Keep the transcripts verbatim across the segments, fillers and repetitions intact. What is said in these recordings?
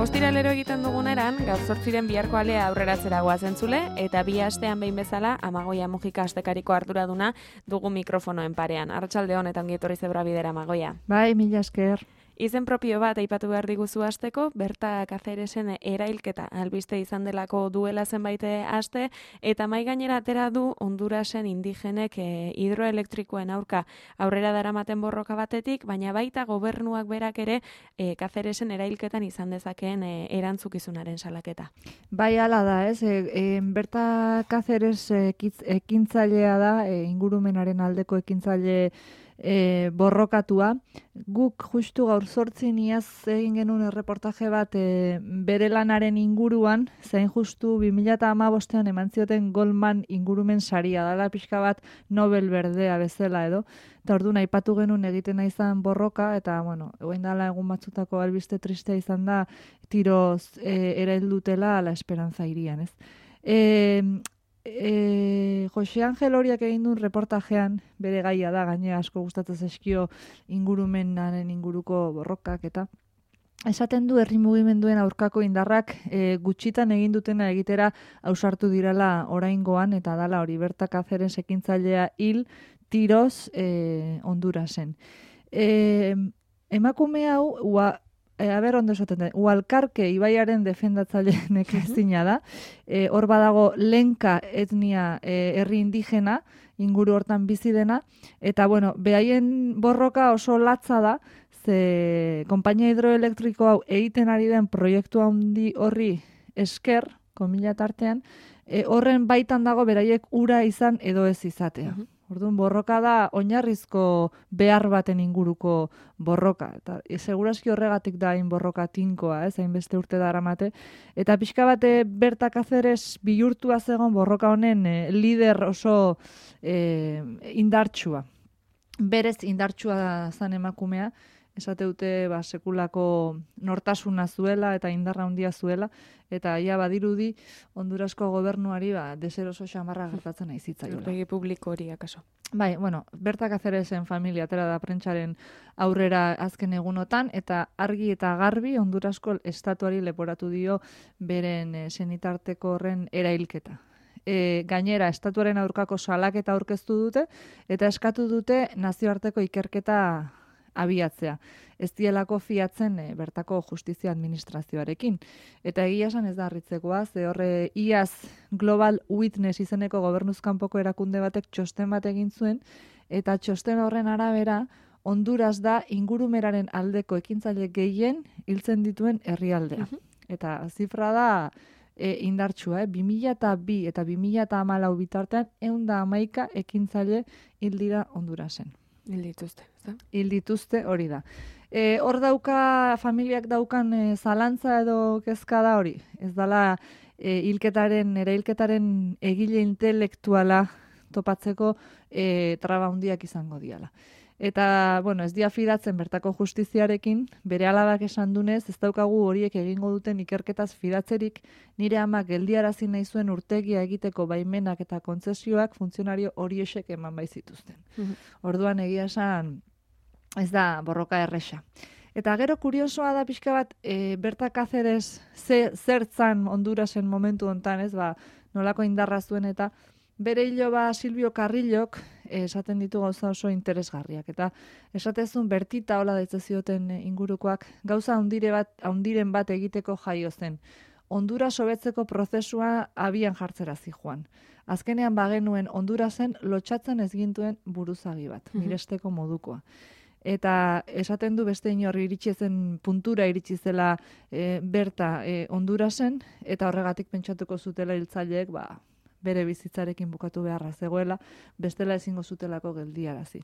Ostiralero egiten duguneran, gaur zortziren biharko alea aurreratzera goazen zule, eta bi astean behin bezala, Amagoia Mujika astekariko arduraduna dugu mikrofonoen parean. Arratsalde hon eta ongi etorri Zebra Bidera, Amagoia. Bai, mila esker. Izen propio bat aipatu behar diguzu hasteko, Berta Cáceresen erailketa albiste izan delako duela zenbait aste, eta mai gainera atera du Hondurasen indigenek e, hidroelektrikoen aurka aurrera daramaten borroka batetik, baina baita gobernuak berak ere e, Cáceresen erailketan izan dezakeen e, erantzukizunaren salaketa. Bai, hala da, ez? E, e, Berta Cáceres ekintzailea da, e, ingurumenaren aldeko ekintzaile E, borrokatua. Guk justu gaur zortzin iaz egin genuen erreportaje bat e, bere lanaren inguruan, zein justu bi mila hamabostean eman zioten Goldman ingurumen saria, dala pixka bat Nobel berdea bezala edo, eta orduan aipatu genuen egiten izan borroka, eta bueno, egin dala egun batzutako albiste tristea izan da, tiroz e, eraildutela La Esperanza hirian, ez? E, E, Jose Angel Horiak egin duen reportajean, bere gaia da, gaine asko gustatzen zaizkio ingurumenaren inguruko borrokak eta esaten du herri mugimenduen aurkako indarrak e, gutxitan egin dutena egitera ausartu direla oraingoan, eta dala hori Berta Cáceres ekintzailea hil tiroz e, Hondurasen. E, emakume hau, ua, E, aber, ondo esaten da, Ualkarke ibaiaren defendatzaile nekezina da. E, hor badago Lenka etnia e, herri indigena, inguru hortan bizi dena, eta bueno, behaien borroka oso latza da, ze konpainia hidroelektriko hau egiten ari den proiektu handi horri esker, komila tartean, e, horren baitan dago beraiek ura izan edo ez izatea. Uh-huh. Orduan, borroka da oinarrizko behar baten inguruko borroka. Eta e, segurazki horregatik da hain borroka tinkoa, ez, hainbeste urte daramate. Eta pixka bate Berta Cáceres bihurtua zegoen borroka honen e, lider oso e, indartsua. Berez indartsua zan emakumea, esate dute ba, sekulako nortasuna zuela eta indarra handia zuela, eta ia badirudi Hondurasko gobernuari ba, deseroso xamarra gertatzen nahi zitzaiola. Aurpegi publiko hori akaso. Bai, bueno, Berta Cáceresen familia atera da prentsaren aurrera azken egunotan, eta argi eta garbi Hondurasko estatuari leporatu dio beren e, senitarteko horren erailketa. E, gainera, estatuaren aurkako salaketa aurkeztu dute, eta eskatu dute nazioarteko ikerketa abiatzea. Ez dielako fiatzen e, bertako justizia administrazioarekin. Eta egia esan ez da harritzekoa, ze horre iaz Global Witness izeneko gobernuzkanpoko erakunde batek txosten bat egin zuen, eta txosten horren arabera Honduras da ingurumeraren aldeko ekintzaile gehien hiltzen dituen herrialdea. Uh-huh. Eta zifra da e, indartsua, eh? bi mila bi eta bi mila hamalau bitartean ehun eta hamaika ekintzaile hil dira Hondurasen. Hil dituzte, ez da? Hil dituzte hori da. E, hor dauka, familiak daukan e, zalantza edo kezka da hori. Ez dala e, hilketaren, ere hilketaren egile intelektuala topatzeko e, traba handiak izango diala. Eta, bueno, ez dia fidatzen bertako justiziarekin, bere alabak esan dunez, ez daukagu horiek egingo duten ikerketaz fidatzerik, nire amak geldiarazi nahi zuen urtegia egiteko baimenak eta kontzesioak funtzionario horiexek eman baizituzten. Mm-hmm. Orduan egia esan ez da borroka erresa. Eta gero kuriosoa da pixka bat, e, Berta Cáceres ze, zertzan Hondurasen momentu hontan, ez, ba, nolako indarra zuen eta bere hilo ba Silvio Carrillok esaten ditu gauza oso interesgarriak. Eta esatezun Bertita hola daitze zioten ingurukoak gauza handire bat, handiren bat egiteko jaio zen. Honduras hobetzeko prozesua abian jartzera zijoan. Azkenean bagenuen Hondurasen lotxatzen ez gintuen buruzagi bat, miresteko modukoa. Eta esaten du beste inorri iritsi zen puntura iritsi zela e, Berta e, Hondurasen, eta horregatik pentsatuko zutela hiltzaileek ba, bere bizitzarekin bukatu beharra zegoela, bestela ezingo zutelako geldiarazi.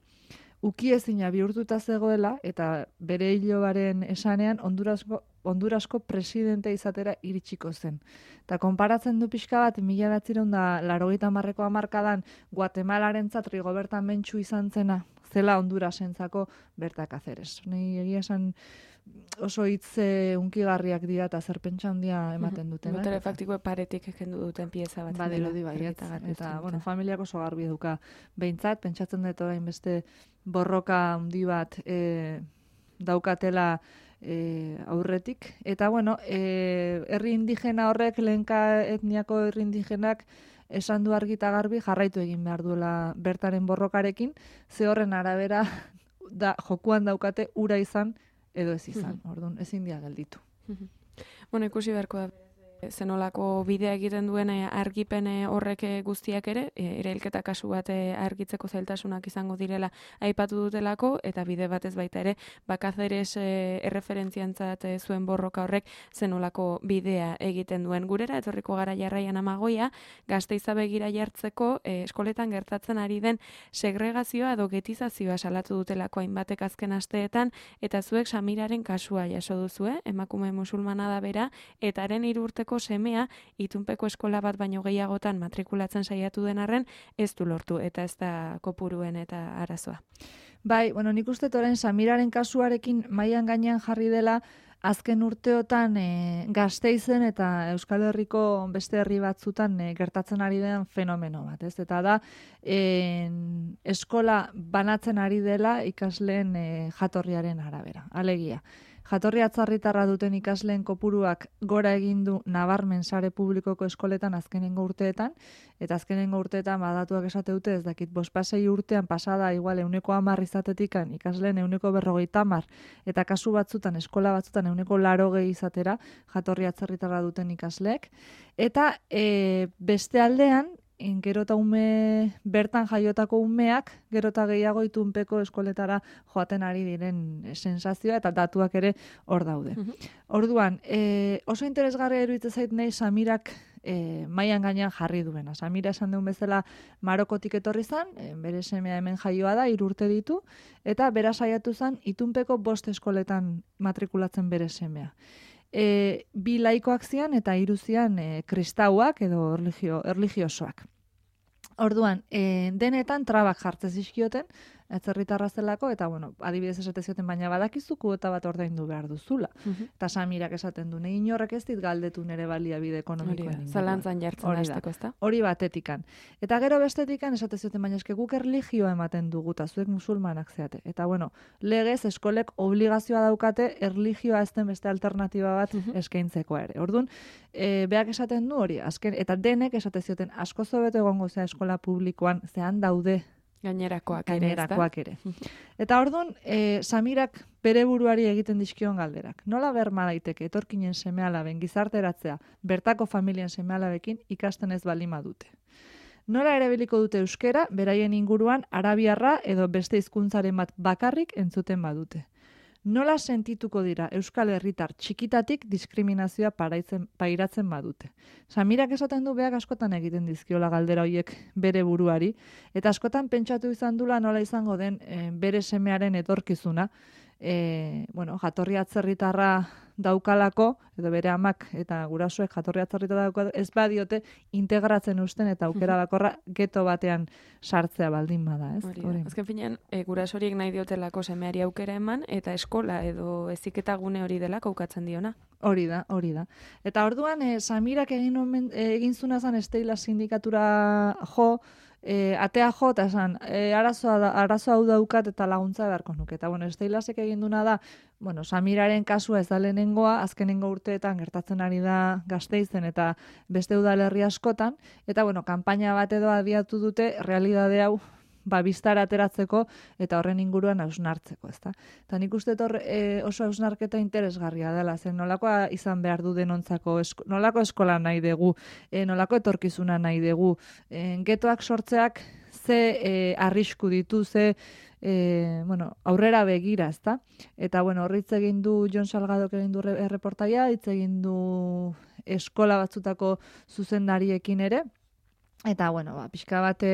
Ukiezina bihurtuta zegoela, eta bere hilobaren esanean Hondurasko, Hondurasko presidente izatera iritsiko zen. Eta konparatzen du pixka bat, mila batzireun da laurogeita hamarreko hamarkadan Guatemalarentzat Rigoberta Menchu izan zena, zela Hondurasentzako Berta Cáceres. Ni egia esan oso hitz unkigarriak dira eta zer pentsa handia ematen duten. Botere faktiko paretik kendu duten pieza bat. Badirudi baiet. Eta, bueno, familiak oso garbi eduka behintzat, pentsatzen dut orain beste borroka handi bat e, daukatela e, aurretik. Eta, bueno, e, herri indigena horrek, lehenka etniako herri indigenak, esan du argi eta garbi jarraitu egin behar duela Bertaren borrokarekin, ze horren arabera da, jokuan daukate ura izan edo ez izan, orduan, ezin dia gelditu. Bueno, ikusi beharko da zenolako bidea egiten duen argipen horrek guztiak ere, erailketa kasu bat argitzeko zailtasunak izango direla aipatu dutelako, eta bide batez baita ere, Cáceres erreferentziantzat zuen borroka horrek zenolako bidea egiten duen. Gurera, etorriko gara jarraian Amagoia, Gasteiza begira jartzeko eskoletan gertatzen ari den segregazioa edo getizazioa salatu dutelako hainbatek azken asteetan, eta zuek Samiraren kasua jaso duzue, emakume musulmana da bera, eta haren hiru urteko semea itunpeko eskola bat baino gehiagotan matrikulatzen saiatu den arren ez du lortu eta ez da kopuruen eta arazoa. Bai, bueno, nik uste orain Samiraren kasuarekin mailan gainean jarri dela azken urteotan e, Gasteizen eta Euskal Herriko beste herri batzutan e, gertatzen ari den fenomeno bat, ez? Eta da e, eskola banatzen ari dela ikasleen e, jatorriaren arabera. Alegia, jatorri atzarritarra duten ikasleen kopuruak gora egin du nabarmen sare publikoko eskoletan azkenengo urteetan, eta azkenengo urteetan badatuak esate dute ez dakit bospasei urtean pasada igual euneko hamar izatetikan ikasleen euneko berrogeita hamar, eta kasu batzutan eskola batzutan euneko larogei izatera jatorri atzarritarra duten ikasleek, eta e, beste aldean gero eta ume bertan jaiotako umeak, gero eta gehiago itunpeko eskoletara joaten ari diren sensazioa eta datuak ere hor daude. Uh-huh. Orduan, e, oso interesgarria iruditzen zait nahi Samirak e, mailan gainean jarri duena. Samira esan duen bezala Marokotik etorri zan, e, bere semea hemen jaioa da, hiru urte ditu, eta bera saiatu zan itunpeko bost eskoletan matrikulatzen bere semea. E, bi laikoak zian eta hiru zian e, kristauak edo erligio, erligiosoak. Orduan, e, denetan trabak jartzen zizkioten, atzerritarra zelako, eta bueno, adibidez esate zioten, baina badakizu kuota bat ordaindu behar duzula. Uh-huh. Eta Samirak esaten du, nei inorrek ez dit galdetu nere baliabide ekonomikoen. Zalantzan jartzen hasteko, ezta? Hori batetikan. Eta gero bestetikan esate zioten, baina eske guk erlijioa ematen dugu, eta zuek musulmanak zeate. Eta bueno, legez eskolek obligazioa daukate erlijioa ez den beste alternatiba bat uh-huh. eskaintzeko ere. Orduan, e, beak esaten du hori, azken, eta denek esate zioten, asko zobeto egongo zea eskola publikoan, zean daude gainerakoak, gainerakoak ere. ere. Eta orduan, e, Samirak bere buruari egiten dizkion galderak. Nola berma daiteke etorkinen seme-alaben gizarteratzea bertako familien seme-alabekin ikasten ez balima dute. Nola erabiliko dute euskera, beraien inguruan arabiarra edo beste hizkuntzaren bat bakarrik entzuten badute. Nola sentituko dira Euskal Herritar txikitatik diskriminazioa paraitzen, pairatzen badute. Samirak esaten du beak askotan egiten dizkiola galdera hoiek bere buruari, eta askotan pentsatu izan dula nola izango den e, bere semearen etorkizuna, e, bueno, jatorri atzerritarra daukalako, edo bere amak eta gurasoek jatorri atzerritarra daukalako, ez badiote integratzen usten eta aukera bakorra geto batean sartzea baldin bada, ez? Hori, hori. Azken finean, e, gurasoriek nahi diotelako semeari aukera eman, eta eskola edo heziketa gune hori dela kaukatzen diona. Hori da, hori da. Eta orduan, e, Samirak egin, omen, e, egin zuna zan Esteila sindikatura jo, E, atea jo, eta esan, e, arazoa, arazoa hau daukat eta laguntza beharko nuke. Eta, bueno, Esteilasek egin duna da, bueno, Samiraren kasua ez da lehenengoa, azkenengo urteetan gertatzen ari da Gasteizen eta beste udalerri askotan, eta, bueno, kanpaina bat edo abiatu dute, realidade hau, ba, biztara ateratzeko eta horren inguruan hausnartzeko, ezta. Eta nik uste hor e, oso hausnarketa interesgarria dela, zen nolakoa izan behar du denontzako, esko, nolako eskola nahi dugu, e, nolako etorkizuna nahi dugu, e, getoak sortzeak ze e, arrisku ditu, ze e, bueno, aurrera begira, ezta. Eta, bueno, horritz egin du Jon Salgadok egin du erreportaia, hitz egin du eskola batzutako zuzendariekin ere, eta, bueno, ba, pixka bat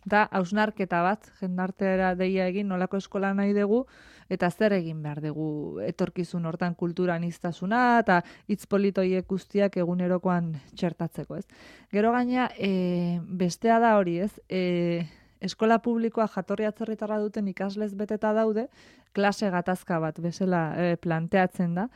da, hausnarketa bat, jendartera deia egin, nolako eskola nahi dugu, eta zer egin behar dugu etorkizun hortan kulturan iztasuna, eta hitz politoiek guztiak egunerokoan txertatzeko, ez. Gero gaina, e, bestea da hori, ez, e, eskola publikoa jatorri atzerritarra duten ikaslez beteta daude, klase gatazka bat bezala e, planteatzen da.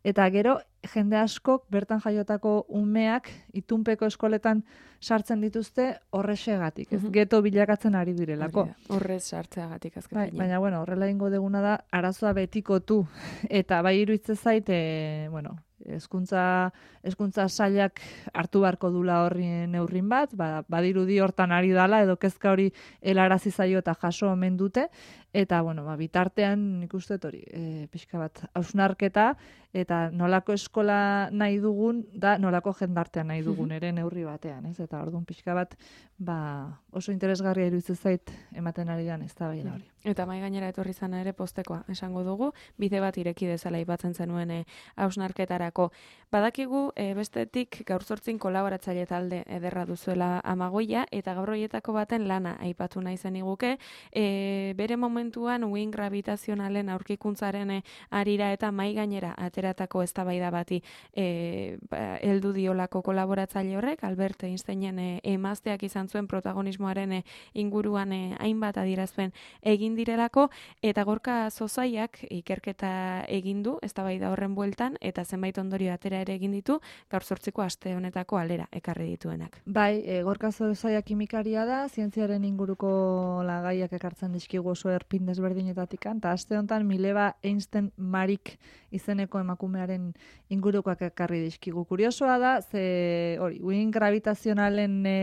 Eta gero, jende askok bertan jaiotako umeak itunpeko eskoletan sartzen dituzte horrexegatik, ez? Geto bilakatzen ari direlako. Horrez sartzeagatik azken bai, baina, bueno, horrela ingo deguna da, arazoa betikotu. Eta bai iruditzen zait, e, bueno, hezkuntza hezkuntza sailak hartu beharko dula horri neurrin bat, ba, badirudi hortan ari dala, edo kezka hori helarazi zaio eta jaso omen dute, eta, bueno, ba, bitartean nik uste hori, e, pixka bat, hausnarketa, eta nolako eskola nahi dugun, da nolako jendartea nahi dugun ere neurri batean, ez? Eta orduan pixka bat, ba, oso interesgarria iruditzen zait ematen ari dan ez da bai da hori. Eta mai gainera etorri zana ere postekoa esango dugu, bide bat ireki dezala ipatzen zenuen hausnarketarako. Badakigu e, bestetik gaur zortzin kolaboratzaile talde ederra duzuela Amagoia, eta gaur horietako baten lana aipatu nahi zen iguke, e, bere momentuan uin gravitazionalen aurkikuntzaren e, arira eta mai gainera ateratako eztabaida bati e, ba, heldu diolako kolaboratzaile horrek, Albert Einsteinen e, emazteak izan zuen protagonismoaren e, inguruan e, hainbat adierazpen egin direlako, eta Gorka Zozaiak ikerketa egin du eztabaida horren bueltan, eta zenbait ondorio atera ere egin ditu, gaur zortziko aste honetako alera ekarri dituenak. Bai, e, Gorka Zozaiak kimikaria da, zientziaren inguruko lagaiak ekartzen dizkigu oso erpin desberdinetatik, eta aste honetan Mileva Einstein Marik izeneko emakumearen ingurukoak ekarri dizkigu. Kuriosoa da, ze hori, uin gravitazionalen e,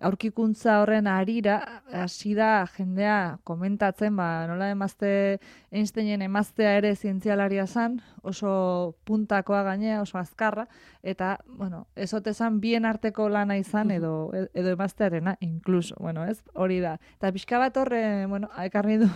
aurkikuntza horren arira, hasi da jendea komentatzen, ba, nola emazte, Einsteinen emaztea ere zientzialaria zan, oso puntakoa gainea, oso azkarra, eta, bueno, ezotezan bien arteko lana izan, edo, edo emaztearena, inkluso, bueno, ez, hori da. Eta pixka bat horre, bueno, ekarri du,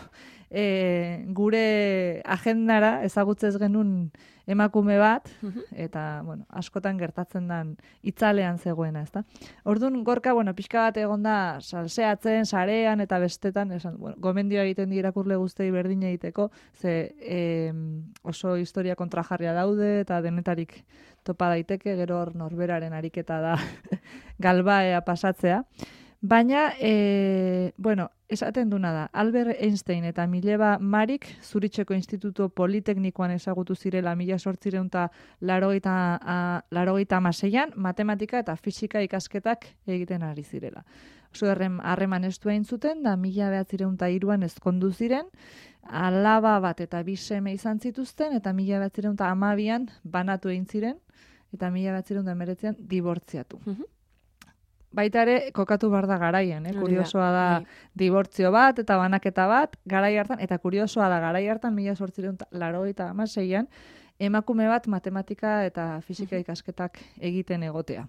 e, gure agendara ezagutzez genuen emakume bat, eta, bueno, askotan gertatzen den itzalean zegoena, ezta? Orduan, Gorka, bueno, pixka bat egonda salseatzen, sarean, eta bestetan, esan, bueno, gomendioa egiten di irakurle guztei berdin egiteko, ze e, oso historia kontrajarria daude, eta denetarik topa daiteke, gero hor norberaren ariketa da galbaea pasatzea. Baina, e, bueno, esaten duna da, Albert Einstein eta Mileva Marik Zuricheko Instituto Politeknikoan ezagutu zirela mila zortziehun eta laurogeita hamaseian, matematika eta fisika ikasketak egiten ari zirela. Oso harreman estu egin zuten, da mila bederatziehun eta hiruan ezkondu ziren, alaba bat eta bi seme izan zituzten, eta mila bederatziehun eta hamabian banatu egin ziren, eta mila bederatziehun eta hemeretzian dibortziatu. Baita ere, kokatu behar da garaian, eh? Kuriosoa da dibortzio bat eta banaketa bat, garai hartan, eta kuriosoa da garai hartan, mila zortziehun eta laurogeita hamaseian, emakume bat matematika eta fisika ikasketak egiten egotea.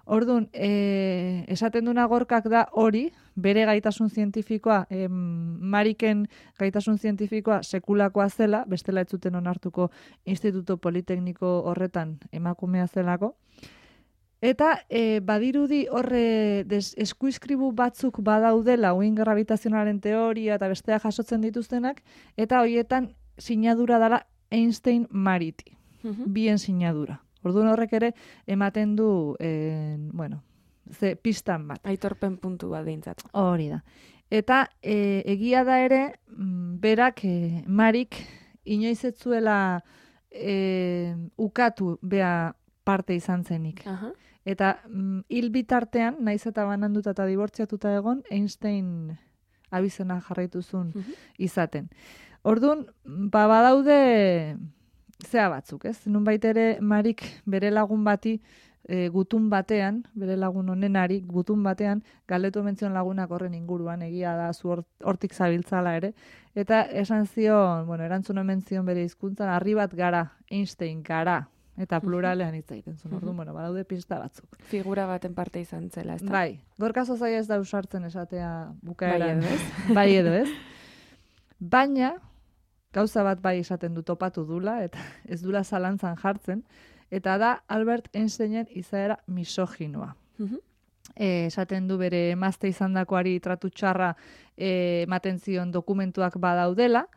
Orduan, e, esaten duna Gorkak da hori, bere gaitasun zientifikoa, em, Mariken gaitasun zientifikoa sekulakoa zela, bestela ez zuten onartuko Instituto Politekniko horretan emakumea zelako. Eta e, badirudi horre des, eskuiskribu batzuk badaudela uin gravitazionalen teoria eta bestea jasotzen dituztenak, eta horietan sinadura dela Einstein Mariti, bien sinadura. Orduan horrek ere ematen du, e, bueno, ze pistan bat. Aitorpen puntu bat dintzat. Hori da. Eta e, egia da ere, berak, e, Marik, inoiz ez zuela e, ukatu bea parte izan zenik. Aha. Eta mm, hil bitartean, naiz eta bananduta eta dibortziatuta egon, Einstein abizena jarraituzun izaten. Orduan, ba badaude zea batzuk, ez? Nunbait ere Marik bere lagun bati e, gutun batean, bere lagun honenari gutun batean, galdetu mentzion lagunak horren inguruan, egia da zu hortik zabiltzala ere, eta esan zion, bueno, erantzun omen zion bere hizkuntzan, harri bat gara, Einstein gara, eta pluralean hitz egiten zuen. Orduan, bueno, badaude pista batzuk. Figura baten parte izan zela, ez da? Bai, Gorka Zozaia ez da usartzen esatea bukaeran. Bai edo ez? Bai edo ez. Baina, gauza bat bai esaten du topatu dula, eta ez dula zalantzan jartzen, eta da Albert Einsteinen izaera misoginoa. E, esaten du bere emazte izandakoari tratu txarra e, ematen zion dokumentuak badaudela,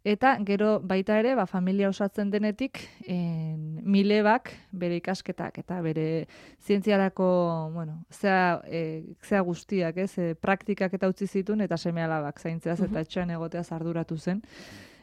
Eta gero baita ere, ba, familia osatzen denetik, en, milebak bere ikasketak eta bere zientziarako, bueno, zea, e, zea guztiak, ez, e, praktikak eta utzi zituen, eta seme-alabak zaintzeaz eta etxean egoteaz arduratu zen.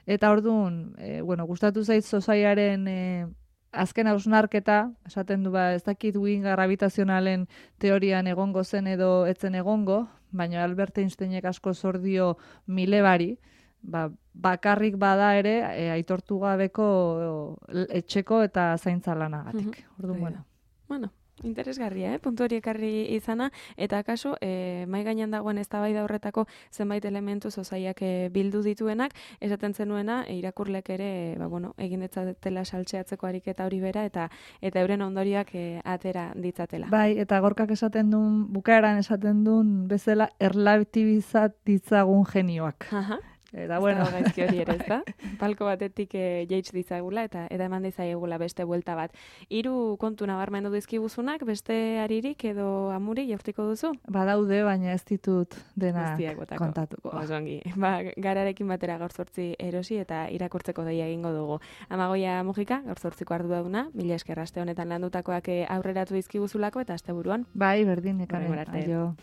Eta orduan, e, bueno, gustatu zait Sosaiaren e, azken hausnarketa, esaten du, ba, ez dakit wing gravitazionalen teorian egongo zen edo etzen egongo, baina Albert Einsteinek asko zordio milebari, ba, bakarrik bada ere e, aitortu gabeko o, etxeko eta zaintza lanagatik. Mhm. Orduan, bueno. Bueno, interesgarria, eh? Puntu hori ekarri izana, eta kasu, eh, mai gainean dagoen eztabaida horretako zenbait elementu Sosaiak eh, bildu dituenak, esaten zenuena, e, irakurlek ere, ba, bueno, egin detzatela saltxeatzeko ariketa hori bera, eta eta euren ondorioak eh, atera ditzatela. Bai, eta gorkak esaten duen, bukaeran esaten duen bezala erlatibizat ditzagun genioak. Aha. Eta bueno, ez gaizki hori ere, ezta? Palko batetik e, jaitsi ditzagula eta eta eman dizaiegula beste buelta bat. Hiru kontu nabarmendu dizkibuzunak, beste aririk edo amuri jaurtiko duzu? Badaude, baina ez ditut denak Guztiak botako. kontatuko. Oso ongi. Ba, gararekin batera gaur zortzi erosi eta irakurtzeko deia egingo dugu. Amagoia Mujika, gaur zortziko arduraduna, mila esker aste honetan landutakoak e, aurreratu dizkibuzulako eta asteburuan. Bai, berdin, nekane. Hurrengo arte. Aio.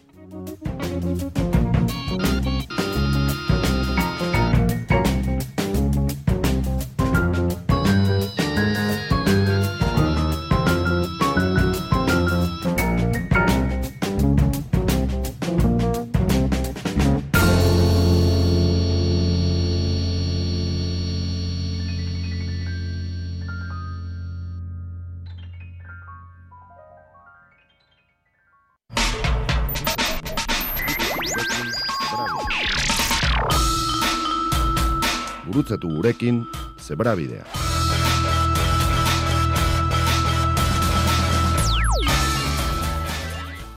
Gurutzatu gurekin Zebrabidea.